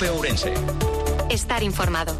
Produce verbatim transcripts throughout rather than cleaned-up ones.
COPE Ourense. Estar informado.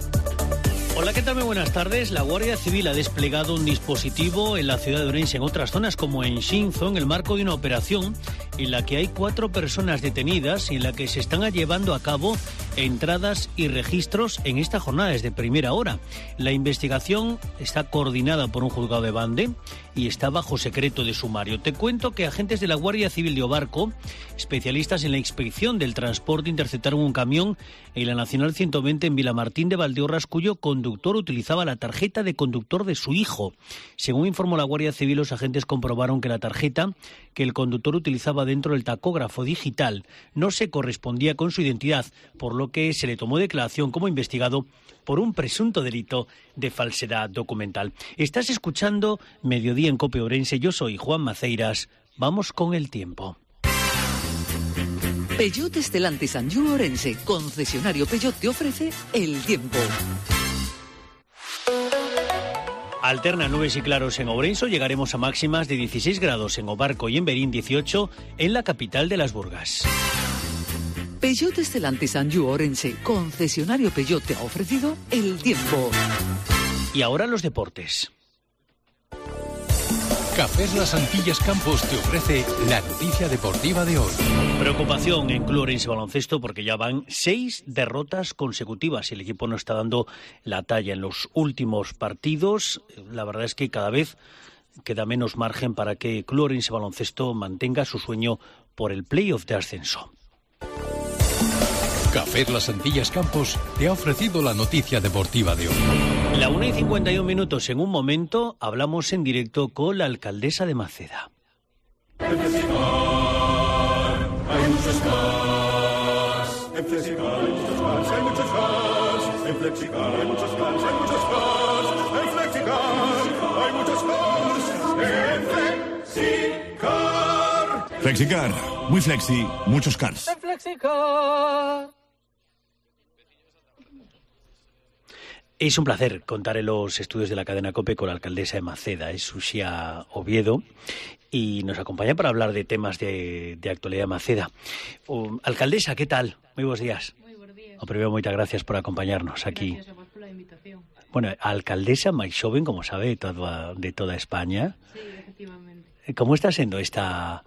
Hola, ¿qué tal? Muy buenas tardes. La Guardia Civil ha desplegado un dispositivo en la ciudad de Ourense, en otras zonas como en Xinzo, en el marco de una operación en la que hay cuatro personas detenidas y en la que se están llevando a cabo entradas y registros en esta jornada desde primera hora. La investigación está coordinada por un juzgado de Bande y está bajo secreto de sumario. Te cuento que agentes de la Guardia Civil de Obarco, especialistas en la inspección del transporte, interceptaron un camión en la Nacional ciento veinte en Vilamartín de Valdeorras, cuyo conductor utilizaba la tarjeta de conductor de su hijo. Según informó la Guardia Civil, los agentes comprobaron que la tarjeta que el conductor utilizaba dentro del tacógrafo digital no se correspondía con su identidad, por lo que se le tomó declaración como investigado por un presunto delito de falsedad documental. Estás escuchando Mediodía en COPE Ourense. Yo soy Juan Maceiras. Vamos con el tiempo. Peugeot Stellantis Anjou Ourense, concesionario Peugeot, te ofrece el tiempo. Alterna nubes y claros en Ourense. Llegaremos a máximas de dieciséis grados en Obarco y en Berín, dieciocho en la capital de las Burgas. Peugeot Stellantis Anjou Ourense, concesionario Peugeot, te ha ofrecido el tiempo. Y ahora los deportes. Cafés Las Antillas Campos te ofrece la noticia deportiva de hoy. Preocupación en Club Ourense Baloncesto porque ya van seis derrotas consecutivas y el equipo no está dando la talla en los últimos partidos. La verdad es que cada vez queda menos margen para que Club Ourense Baloncesto mantenga su sueño por el playoff de ascenso. Cafés Las Antillas Campos te ha ofrecido la noticia deportiva de hoy. La una y cincuenta y un minutos. En un momento hablamos en directo con la alcaldesa de Maceda. En Flexicar hay muchos cars. En Flexicar hay muchos cars, hay muchos cars. En Flexicar hay muchos cars, hay muchos cars. En Flexicar hay muchos cars. En Flexicar. Flexicar, muy flexi, muchos cars. En Flexicar. Es un placer contar en los estudios de la cadena COPE con la alcaldesa de Maceda, es Uxía Oviedo, y nos acompaña para hablar de temas de, de actualidad de Maceda. Um, alcaldesa, ¿qué tal? Muy buenos días. Muy buenos días. O primero, muchas gracias por acompañarnos aquí. Gracias a vos por la invitación. Bueno, alcaldesa máis xoven, como sabe, de toda, de toda España. Sí, efectivamente. ¿Cómo está sendo esta,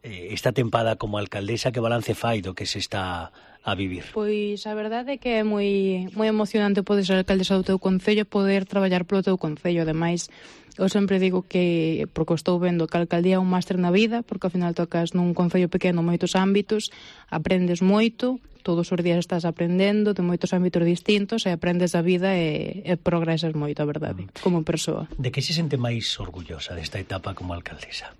esta tempada como alcaldesa? Que balance fai do que se está a vivir? Pois a verdade é que é moi moi emocionante poder ser alcaldesa do teu concello, poder traballar polo teu concello. Ademais, eu sempre digo que, porque estou vendo que a alcaldía é un máster na vida, porque ao final tocas nun concello pequeno moitos ámbitos, aprendes moito, todos os días estás aprendendo de moitos ámbitos distintos e aprendes a vida e, e progresas moito, a verdade, como persoa. De que se sente máis orgullosa desta etapa como alcaldesa?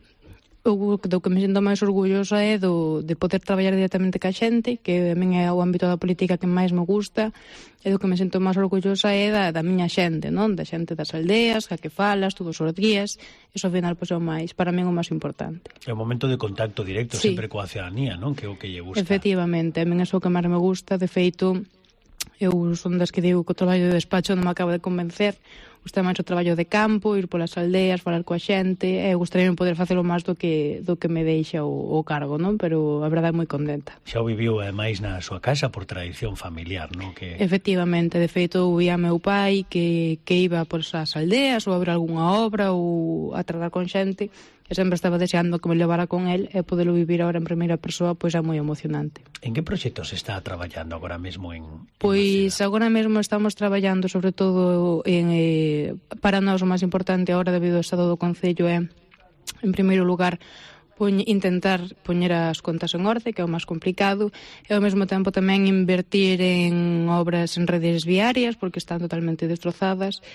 O do que me sinto máis orgullosa é do, de poder traballar directamente ca xente, que a min é o ámbito da política que máis me gusta, e do que me sinto máis orgullosa é da, da miña xente, non? Da xente das aldeas, ca que falas todos os días. Iso ao final pois, é o máis, para min o máis importante. É un momento de contacto directo, sí, sempre coa ciudadanía, non? Que é o que lle gusta. Efectivamente, a min é o que máis me gusta. De feito, eu son das que digo que o traballo de despacho non me acaba de convencer. Gusta máis o traballo de campo, ir polas aldeas, falar coa xente, e gustaría poder facelo máis do que do que me deixa o, o cargo, non? Pero a verdade é moi contenta. Xa o viviu ademais na súa casa por tradición familiar, non? Que... Efectivamente, de feito, vía meu pai que, que iba por esas aldeas ou a ver algunha obra ou a tratar con xente, e sempre estaba deseando que me levara con el, e poderlo vivir agora en primeira persoa, pois é moi emocionante. En que proxectos se está traballando agora mesmo en, en Pois Maceda? Agora mesmo estamos traballando sobre todo en, eh, para nós o máis importante agora debido ao estado do concello é, en primeiro lugar, poñ, intentar poñer as contas en orde, que é o máis complicado, e ao mesmo tempo tamén invertir en obras en redes viarias, porque están totalmente destrozadas,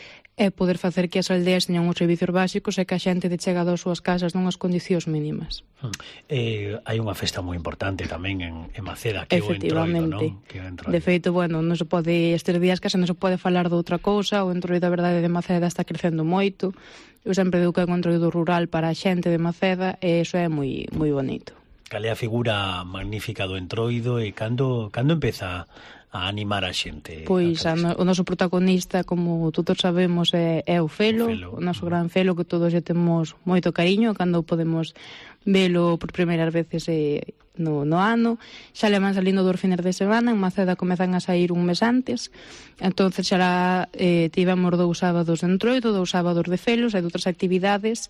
e poder facer que as aldeas teñan uns servicios básicos e que a xente de chegado ás súas casas nunhas condicións mínimas. Hmm. Eh, hai unha festa moi importante tamén en, en Maceda, que é o Entroido, non? Que é o Entroido. De feito, bueno, non se pode, estes días case non se pode falar de outra cousa, o Entroido, a verdade, de Maceda está crecendo moito. Eu sempre digo que é un Entroido rural para a xente de Maceda e iso é moi moi bonito. Cal é a figura magnífica do Entroido e cando, cando empeza a animar a xente? Pois a no, o noso protagonista, como todos sabemos, é, é o Felo, o, Felo, o noso gran Felo, que todos lle temos moito cariño. Cando podemos velo por primeiras veces e no, no ano, xa levan salindo dos fines de semana, en Maceda comezan a sair un mes antes, entonces xa eh, tivemos dous sábados de Entroido, dous sábados de Felos e outras actividades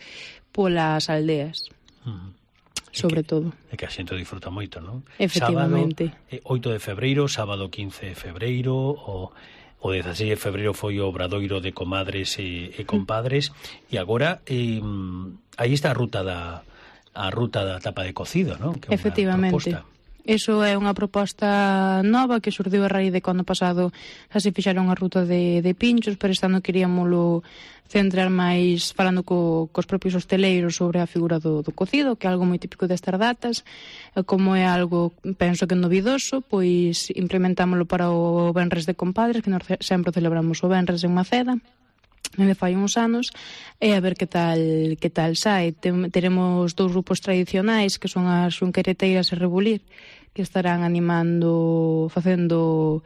polas aldeas. Uh-huh. Sobre que, todo. É que a xente disfruta moito, non? Efectivamente. Sábado, eh, oito de febreiro, sábado quince de febreiro, o, o dezasseis de febreiro foi o obradoiro de comadres e, e compadres, e agora eh, aí está a ruta da a ruta da tapa de cocido, non? Que é efectivamente. Proposta. Eso é unha proposta nova que xurdiu a raíz de que ano pasado xa se fixaron a ruta de, de pinchos, pero este ano queríamoslo centrar máis falando co, cos propios hosteleiros sobre a figura do, do cocido, que é algo moi típico destas datas, e como é algo, penso que novidoso, pois implementámoslo para o Venres de Compadres, que nós sempre celebramos o Venres en Maceda, me fai uns anos, e a ver que tal que tal sai. Tem, teremos dous grupos tradicionais que son as Xunquereteiras e Rebulir, que estarán animando, facendo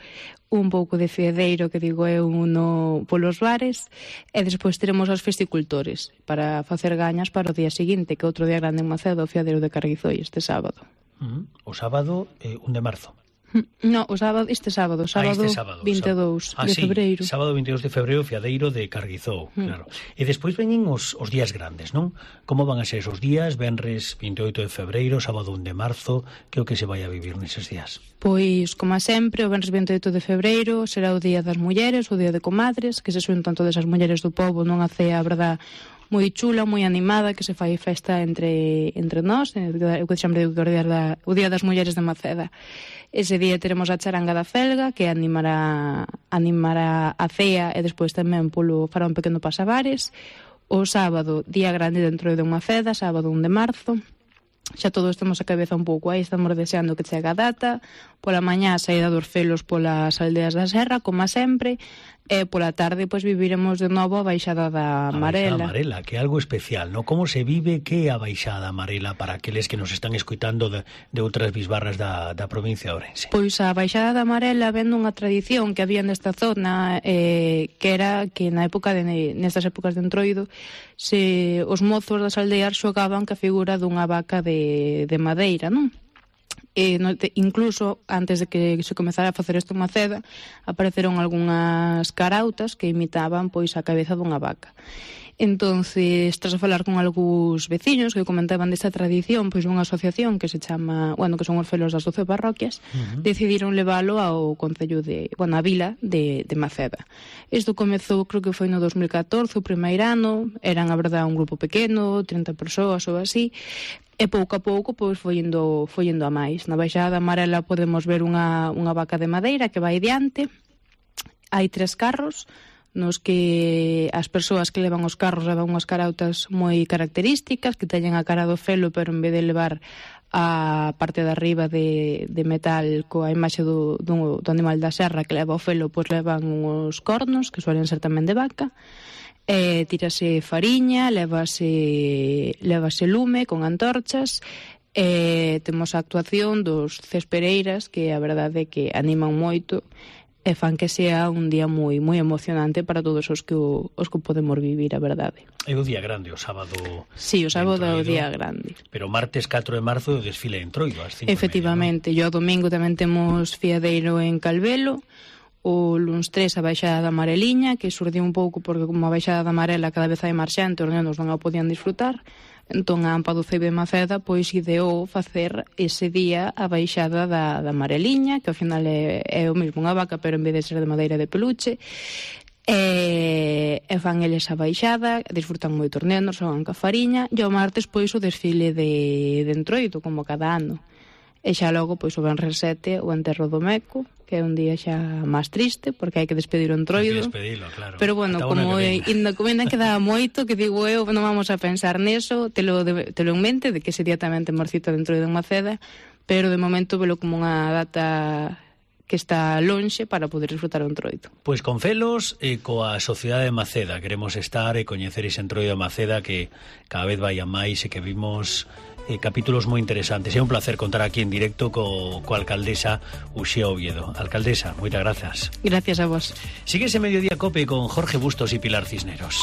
un pouco de fiedeiro, que digo eu, no, polos bares, e despois teremos os festicultores para facer gañas para o día seguinte, que outro día grande en Maceda, o fiadeiro de Carguizoi, este sábado. Uh-huh. O sábado, eh, un de marzo. No, o sábado, este sábado, sábado, ah, este sábado vinte e dous ah, de sí, febreiro. Sábado vinte e dous de febreiro, fiadeiro de Carguizou, mm. claro. E despois veñen os, os días grandes, non? Como van a ser esos días? Venres vinte e oito de febreiro, sábado un de marzo, que é o que se vai a vivir neses días? Pois, como sempre, o venres vinte e oito de febreiro será o Día das Mulleres, o Día de Comadres, que se xuntan todas as mulleres do pobo nunha cea, a verdad, moi chula, moi animada, que se fai festa entre entre nós, o que sempre digo que o día, da, o día das Mulleres de Maceda. Ese día teremos a charanga da Felga, que animará animará a cea, e despois tamén polo fará un pequeno pasabares. O sábado, día grande dentro de Maceda, sábado un de marzo. Xa todos temos a cabeza un pouco aí, estamos deseando que chegue a data. Pola mañá, saída dos Felos polas aldeas da Serra, como sempre, e pola tarde, pois, viviremos de novo a Baixada da Marela. A Baixada Marela, que é algo especial, ¿no? Como se vive que a Baixada Marela para aqueles que nos están escoitando de, de outras bisbarras da, da provincia de Ourense? Pois a Baixada da Marela vendo unha tradición que había nesta zona, eh, que era que na época de, nestas épocas de Entroido, se os mozos das aldeas xogaban ca figura dunha vaca de, de madeira, non? E no, te, incluso antes de que se comezara a facer isto en Maceda, apareceron algunhas carautas que imitaban pois a cabeza dunha vaca. Entonces, tras a falar con algúns veciños que comentaban desta tradición, pois unha asociación que se chama, bueno, que son os Felos das doce parroquias, uh-huh. decidiron leválo ao concello de, bueno, a vila de, de Maceda. Isto comezou, creo que foi no dos mil catorce, o primeiro ano, eran, a verdade, un grupo pequeno, trinta persoas ou así, e pouco a pouco pois foi indo, foi indo a máis. Na Baixada Amarela podemos ver unha, unha vaca de madeira que vai diante, hai tres carros nos que as persoas que levan os carros levan unhas carautas moi características, que teñen a cara do felo, pero en vez de levar a parte de arriba de, de metal coa imaxe do, do, do animal da serra que leva o felo, pois levan uns cornos que suelen ser tamén de vaca. Eh, tírase fariña, lévase, lévase lume con antorchas, eh, temos a actuación dos cespereiras que a verdade é que animan moito e fan que sea un día moi moi emocionante para todos os que o, os que podemos vivir, a verdade. É o día grande, o sábado. Sí, o sábado é o día grande. Pero martes catro de marzo o desfile en Entroido, ás cinco efectivamente, e media, ¿no? E o domingo tamén temos fiadeiro en Calvelo. O luns tres a Baixada da Mareliña, que surdiu un pouco porque como a Baixada da Marela cada vez hai máis xente, os nenos non a podían disfrutar. Entón a AMPA do C E I B de Maceda pois ideou facer ese día a Baixada da, da Mareliña, que ao final é, é o mesmo unha vaca, pero en vez de ser de madeira de peluche. E, e fan eles a baixada, disfrutan moito os nenos, xogan ca fariña, e o martes pois o desfile de, de Entroido, como cada ano. E xa logo, pois, o venres sete, o enterro do Meco, que é un día xa máis triste, porque hai que despedir o Entroido. Hai que despedilo, claro. Pero, bueno, Ata como ainda comenda quedaba moito, que digo eu, non vamos a pensar neso, telo, de, telo en mente, de que ese día tamén temos cita de Entroido en Maceda, pero de momento velo como unha data que está lonxe para poder disfrutar o Entroido. Pois con Felos e coa Sociedade de Maceda queremos estar e coñecer ese Entroido de Maceda que cada vez vai a máis e que vimos eh, capítulos moi interesantes. É un placer contar aquí en directo co, co alcaldesa Uxía Oviedo. Alcaldesa, moitas grazas. Gracias a vos. Sigue ese Mediodía Cope con Jorge Bustos e Pilar Cisneros.